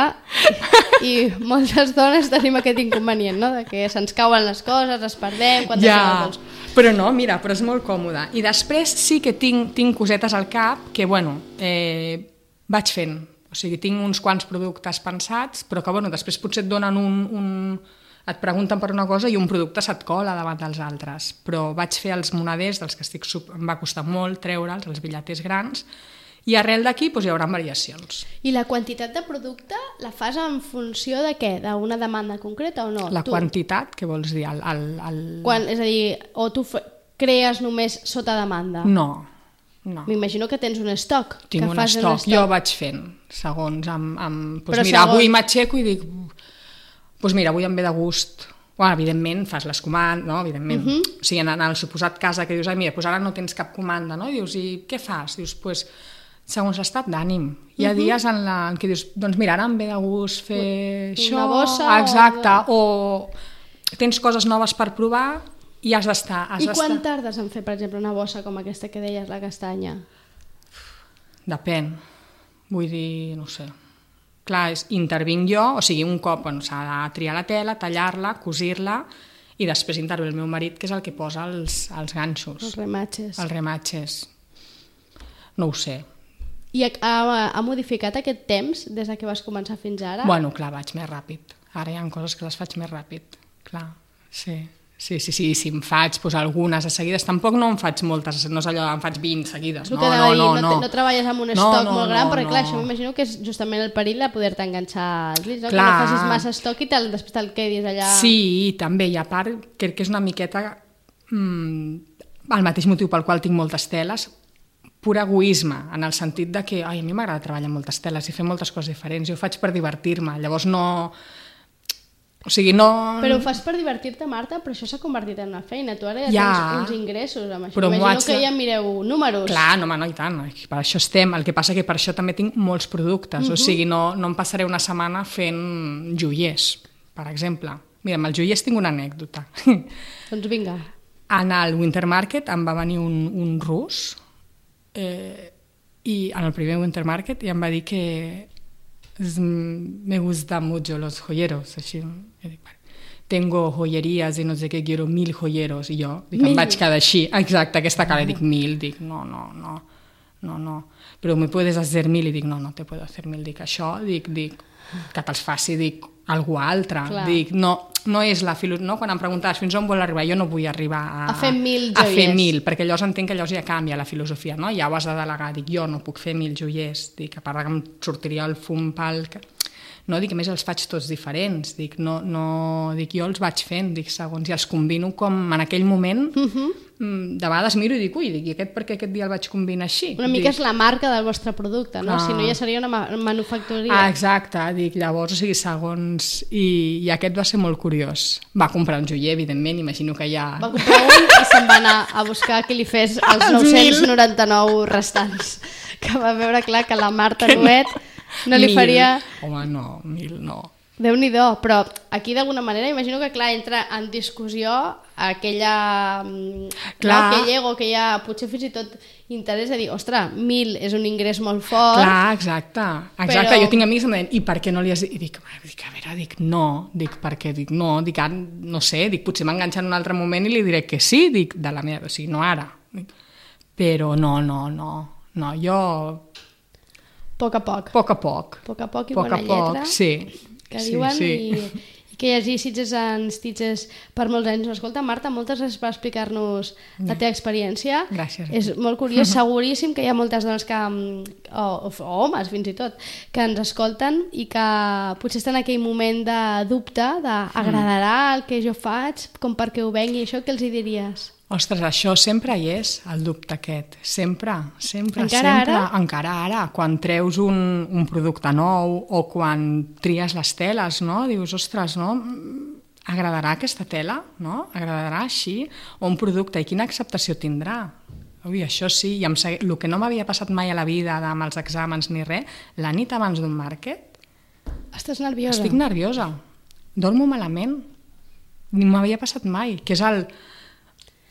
i moltes dones tenim aquest inconvenient, no? De que se'ns cauen les coses, es perdem, quan deixem el bols. Però no, mira, però és molt còmode. I després sí que tinc, tinc cosetes al cap que, bueno, eh, vaig fent. O sigui, tinc uns quants productes pensats, però que, bueno, després potser et donen un, un... et pregunten per una cosa i un producte se't cola davant dels altres. Però vaig fer els moneders, dels que estic... Sub... em va costar molt treure'ls, els bitlleters grans, i arrel d'aquí doncs, hi haurà variacions. I la quantitat de producte la fas en funció de què? D'una demanda concreta o no? La tu, quantitat, què vols dir? El, el, el... Quan, és a dir, o tu fe, crees només sota demanda? No, no. M'imagino que tens un estoc. Tinc que un fas estoc, jo vaig fent, segons amb... amb doncs Però mira, segons- avui m'aixeco i dic, doncs mira, avui em ve de gust Bueno, evidentment, fas les comandes, no? Evidentment. Uh -huh. O sigui, en, en el suposat cas que dius, ai, mira, doncs ara no tens cap comanda, no? I dius, i què fas? Dius, doncs, pues, segons l'estat d'ànim. Hi ha uh -huh. dies en, la, en què dius, doncs mira, ara em ve de gust fer una això... bossa exacte, o... o tens coses noves per provar i has d'estar... I quan tardes en fer, per exemple, una bossa com aquesta que deies, la castanya? Depèn. Vull dir, no sé... Clar, és, intervinc jo, o sigui, un cop on s'ha de triar la tela, tallar-la, cosir-la, i després intervé el meu marit, que és el que posa els, els ganxos. Els rematxes. Els rematxes. No ho sé. I ha, ha, ha modificat aquest temps des que vas començar fins ara? Bueno, clar, vaig més ràpid. Ara hi ha coses que les faig més ràpid. Clar, sí. Sí, sí, sí, si em faig pues, algunes a seguides, tampoc no en faig moltes, no és allò, en faig vint seguides. No, no, no, no, no. no treballes amb un no, estoc no, molt gran, no, perquè clar, no. això m'imagino que és justament el perill de poder-te enganxar els dits, no? Clar. Que no facis massa estoc i te'l, després te'l quedis allà... Sí, també, i a part crec que és una miqueta mmm, el mateix motiu pel qual tinc moltes teles, pur egoisme, en el sentit de que ai, a mi m'agrada treballar amb moltes teles i fer moltes coses diferents, i ho faig per divertir-me, llavors no... O sigui, no... Però ho fas per divertir-te, Marta, però això s'ha convertit en una feina. Tu ara ja, ja tens uns ingressos amb això. Però Imagino haig... que ja mireu números. Clar, no, no, i tant, per això estem. El que passa que per això també tinc molts productes. Uh-huh. O sigui, no, no em passaré una setmana fent joiers, per exemple. Mira, amb els joiers tinc una anècdota. Doncs vinga. En el Winter Market em va venir un, un rus, eh, i en el primer Winter Market, i em va dir que me gustan mucho los joyeros, així, tengo joyerías i no sé què, quiero mil joyeros, i jo dic, em vaig quedar així, exacte, aquesta cara, dic mil, dic no, no, no, no, no, però me puedes hacer mil, i dic no, no te puedo hacer mil, dic això, dic, dic, que te'ls faci, dic, algú altre, clar. Dic, no, no és la filosofia, no? Quan em preguntaves fins on vol arribar, jo no vull arribar a, a fer mil a joiers, fer mil, perquè llavors entenc que llavors ja canvia la filosofia, no? Ja ho has de delegar, dic, jo no puc fer mil joiers, dic, a part que em sortiria el fum pel... No, dic, a més els faig tots diferents, dic, no, no, dic, jo els vaig fent, dic, segons, i els combino com en aquell moment, uh-huh. De vegades miro i dic, ui, dic, i aquest per què aquest dia el vaig combinar així? Una mica dic, és la marca del vostre producte, no? Ah. Si no ja seria una ma manufactoria. Ah, exacte, dic, llavors, o sigui, segons... I, i aquest va ser molt curiós. Va comprar un joier, evidentment, imagino que ja... Va comprar un i se'n va anar a buscar que li fes els nou-cents noranta-nou restants. Que va veure clar que la Marta Nuet no li mil. faria... Home, no, mil no. Déu-n'hi-do, però aquí d'alguna manera imagino que clar, entra en discussió aquella clar. No, aquell ego que hi ha, potser fins i tot interès de dir, ostres, mil és un ingrés molt fort. Clar, exacte, exacte. Però... Jo tinc amics que em deien, i per què no li has dit? I dic, dic, a veure, dic, no, dic, perquè, dic, no, dic, no sé, dic, potser m'enganxa en un altre moment i li diré que sí, dic, de la meva, o sigui, no ara. Dic, però no, no, no, no, jo... A poc a poc. A poc a poc. A poc a poc i poc bona a poc, lletra. Sí. Que sí, diuen sí. i, i que hi hagi Sitges en Stitches per molts anys. Escolta, Marta, moltes gràcies per explicar-nos la teva experiència. Gràcies. És molt curiós, seguríssim que hi ha moltes dones que, o, o, o homes fins i tot, que ens escolten i que potser estan en aquell moment de dubte, d'agradarà el que jo faig, com perquè ho vengui, això què els hi diries? Ostres, això sempre hi és, el dubte aquest. Sempre, sempre, encara sempre. Ara? Encara ara? Quan treus un, un producte nou o quan tries les teles, no? Dius, ostres, no? Agradarà aquesta tela? No? Agradarà així? O un producte, i quina acceptació tindrà? Ui, això sí, i em segui... el que no m'havia passat mai a la vida amb els exàmens ni res, la nit abans d'un màrquet... Estàs nerviosa? Estic nerviosa. Dormo malament. Ni m'havia passat mai, que és el...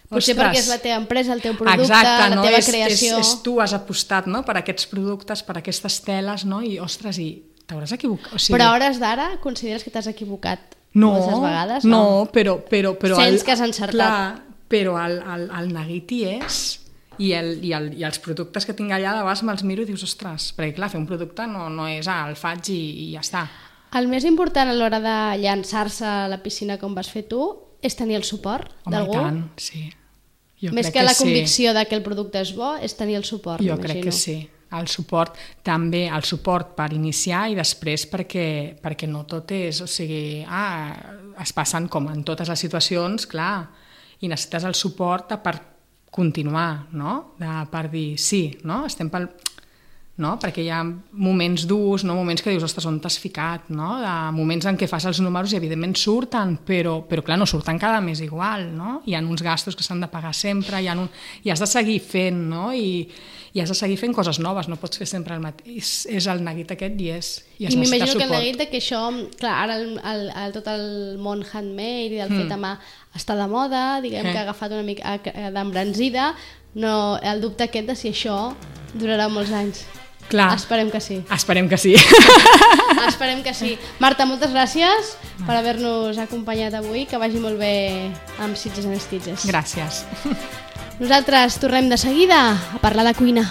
Potser Ostres. perquè és la teva empresa, el teu producte, exacte, la no? teva és, creació. És, és tu has apostat, no? Per aquests productes, per aquestes teles, no? I, ostres, i t'hauràs equivocat. O sigui... Però a hores d'ara consideres que t'has equivocat no, moltes vegades? No, no però, però, però... Sents el, que has encertat. Clar, però el, el, el neguit hi és, i, el, i, el, i els productes que tinc allà de vegades me'ls miro i dius, ostres, perquè clar, fer un producte no, no és, ah, el faig i, i ja està. El més important a l'hora de llançar-se a la piscina com vas fer tu és tenir el suport d'algú? Home, i tant, sí. Jo Més que, que la sí. convicció de que el producte és bo, és tenir el suport. Jo crec que sí. El suport, també el suport per iniciar i després perquè, perquè no tot és, o sigui, ah, es passen com en totes les situacions, clar, i necessites el suport per continuar, no? De, per dir sí, no? Estem pel... no? Perquè hi ha moments durs, no? Moments que dius, ostres, on t'has ficat, no? De moments en què fas els números i evidentment surten, però, però clar, no surten cada mes igual, no? Hi ha uns gastos que s'han de pagar sempre, hi ha un... i has de seguir fent, no? I, i has de seguir fent coses noves, no pots fer sempre el mateix, és el neguit aquest i és, i es I necessita m'imagino suport. que el neguit de que això, clar, ara el, el, el, tot el món handmade i del mm. fet a mà està de moda, diguem eh. que ha agafat una mica d'embranzida, no, el dubte aquest de si això durarà molts anys. Clar. Esperem que sí. Esperem que sí. Esperem que sí. Marta, moltes gràcies per haver-nos acompanyat avui, que vagi molt bé amb Sitges and Stitches. Gràcies. Nosaltres tornem de seguida a parlar de cuina.